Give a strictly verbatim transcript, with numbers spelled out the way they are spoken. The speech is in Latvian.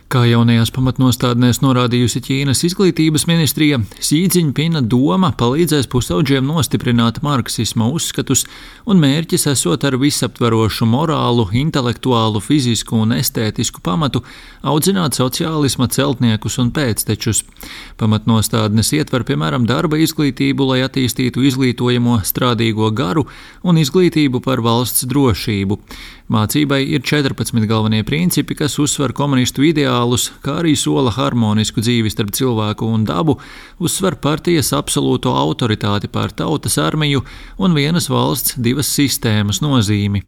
Kā jaunajās pamatnostādnēs norādījusi Ķīnas izglītības ministrija, Sīdziņpina doma palīdzēs pusaudžiem nostiprināt marksisma uzskatus un mērķis esot ar visaptverošu morālu, intelektuālu, fizisku un estētisku pamatu audzināt sociālisma celtniekus un pēctečus. Pamatnostādnes ietver piemēram darba izglītību, lai attīstītu izglītojamo strādīgo garu un izglītību par valsts drošību. Mācībai ir četrpadsmit galvenie principi, kas uzsver komunistu ideālus, kā arī sola harmonisku dzīvi starp cilvēku un dabu, uzsver partijas absolūto autoritāti pār tautas armiju un vienas valsts divas sistēmas nozīmi.